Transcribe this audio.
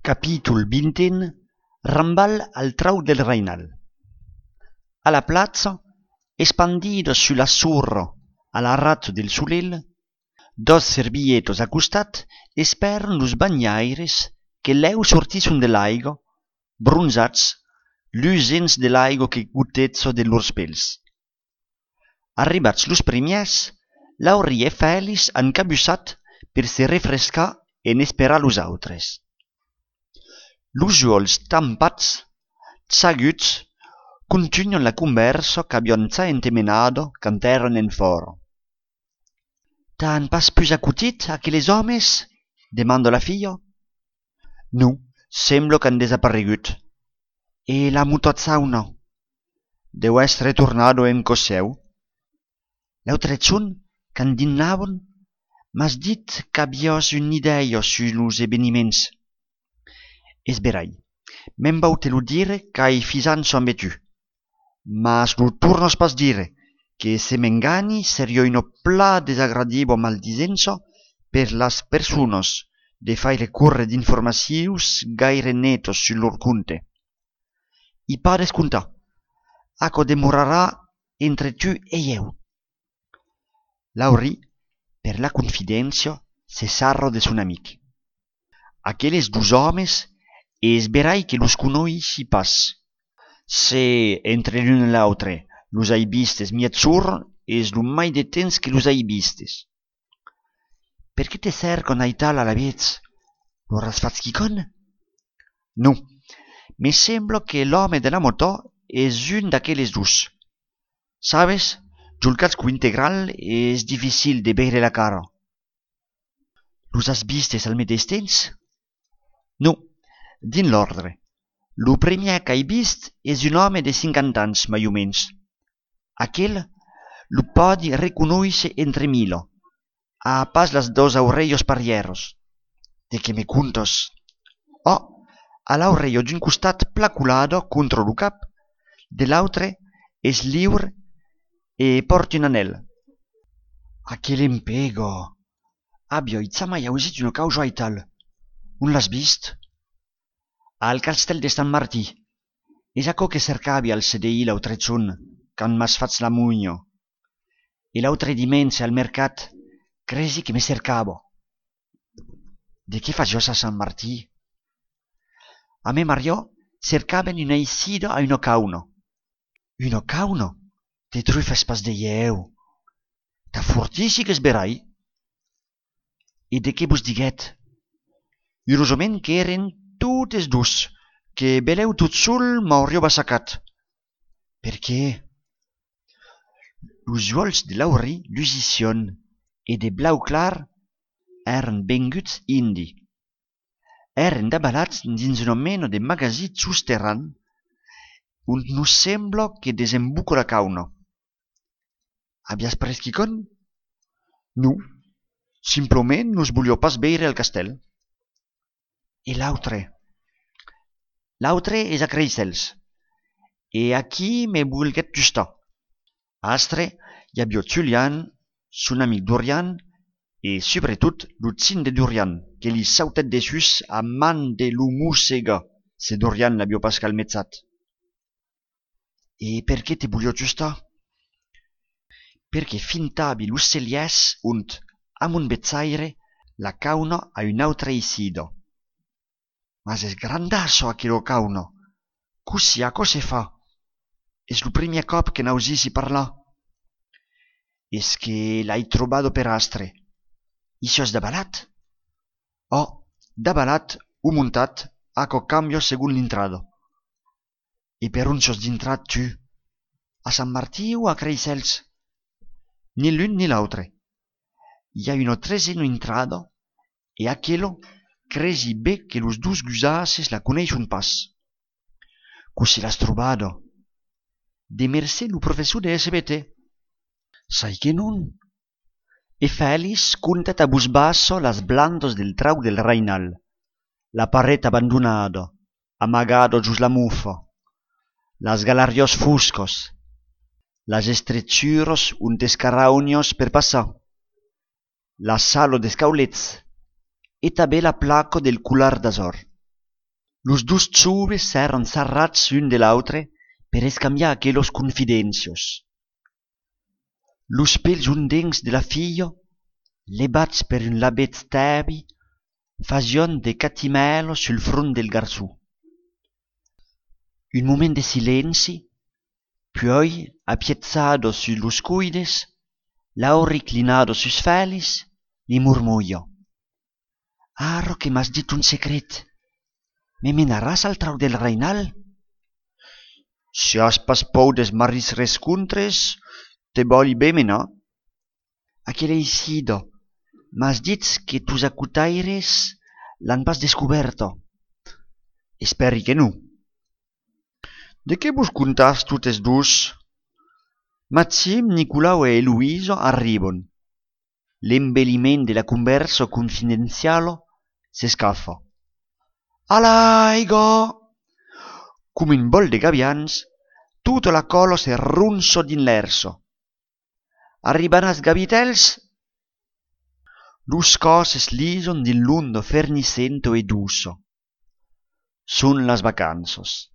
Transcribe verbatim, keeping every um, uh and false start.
Capítol vint Rambal al trau del Reinal. A la plaza, espandidos sul azzurro al rato del solel, dos servilletos a costat esperen los banyaires que leu sortisson de l'aigo, bronzats, lusents de l'aigo que gutezzo de lors pels. Arribats los primiers, Lauri e Félix han cabussat per se refrescar en esperar los autres. Los juols tampats, tzaguts, continuan la conversa que habían za entemenado quand eran en foro. «T'han pas pus acutit aquelles homes?» demanda la filla. «No, sembla que han desaparegut.» «E la mutazzauna?» «Deu esser tornado en cos seu.» «L'autrezun, quand dinaven, m'has dit qu'havies una idea sur los eveniments.» «És verai, me'n vau te lo dire qu'ai fisança amb tu, mas lo tornos pas dire, que se m'engani seria una pla desagradiva maldisença per las persones de faire curre d'informacions gaire netos sur lor compte. I pa descomptar, aquò demorarà entre tu e eu.» Lauri, per la confidència, se sarro de son amic. «Aquelles dos homes es verai que los conoixi pas. Se entre l'un e l'autre los hai vistes mietzur, es lo mai de temps que los hai vistes.» «Per qué te cercan aital a la vez? Lo has fatz quicon?» «No, me sembla que l'home de la moto es un d'aquelles dos. Sabes, jol casco integral es dificil de veure la cara.» «Los has vistes al mateix temps?» «No, din l'ordre. Lo primer qu'hai vist és un home de cinquanta anys, mai o menys. Aquel lo podi reconoèixer entre milo, a pas las dos aurellos parieros. De què me contes?» «Oh, a l'aurello d'un costat placulado contra lo cap, de l'altre és lliure e porta un anel.» «Aquel empego! Abbia itza mai ausit una causa aital. On l'has vist?» «Al castell de Sant Martí. És aquò que cercavi al C D I l'autrezun, quand m'has fatz la mugno. E l'autre dimensi al mercat, cresi que me cercavo.» «De què fagios a Sant Martí?» «A me Mario cercaven una eixida a una cauna.» «Una cauna? Te trufes pas de ieu. Ta fortici que es verai.» «E de què vos diguet?» «Urosament que eren totes dos, que beleu tot sol m'auríeu assacat.» «Per què?» «Los juols de Lauri, Lusicion e de Blau clar, eren venguts indi. Eren dabalats dins una mena de magazí sosterran, on no sembla que desembuca la cauna.» «Havies pres quicon?» «No, simplement nos volió pas veire el castell.» «E l'autre?» «L'autre és a Creixels, e aquí me volguet justar. Astre hi havia Julian, son amic Dorian, e sobretot l'utzin de Dorian, que li sautet dessus a man de lo mossega, se Dorian l'havia pas calmetzat.» «E per què te volio justar?» «Perché fintavi los celiès und, amb un bezzaire, la cauna a un altre eixida.» «Mas és grandasso aquella cauna. Così a co se fa? És lo primer cop que n'ausissi parlar.» «És que l'hai trobado per astre. Ixo és dabalat?» «Oh, dabalat o muntat, aquò cambio segun l'intrado.» «E per on sos d'intrat tu? A Sant Martí o a Creixels?» «Ni l'un ni l'altre. Hi ha una tresena intrado, e aquello cresi bé que los dos gusases la coneixen pas.» «Così l'has trobado?» «De mercè lo professor de S B T.» «Sai que non?» «E Félix contat a vos basso las blandos del trau del Reinal, la paret abandonada, amagado gius la muffa, las galarios fuscos, las estrechuros un escaraunios per passar, la salo d'escaulets, e també la placa del cular d'azor. Los dus joves s'eran sarrats un de l'autre per escambiar aquelos confidencios. Los pels undencs de la fillo, lebats per un labet stebi, fasion de catimelo sul front del garzù. Un moment de silenci, poi, appiezzato sullos cuides, lao reclinato sus felis, li murmurio. «Aro que m'has dit un secret. Me menaràs al trau del Reinal?» «Si has pas pou des maris rescontres, te voli bé menar?» «Aquel eixido, m'has dit que tus acutaires l'han pas descoberto?» «Esperi que non.» «De qué vos contas totes dos?» Maxim, Nicolau e Eloïso arribon. L'embelliment de la conversa confidenziale s'escaffa. «Alaigo!» Come un bol de gavians, tutta la colo se runso d'inlerso. Arriban as gavitels? Los coses lison din lundo ferniscento e duso. Son las vacanzas.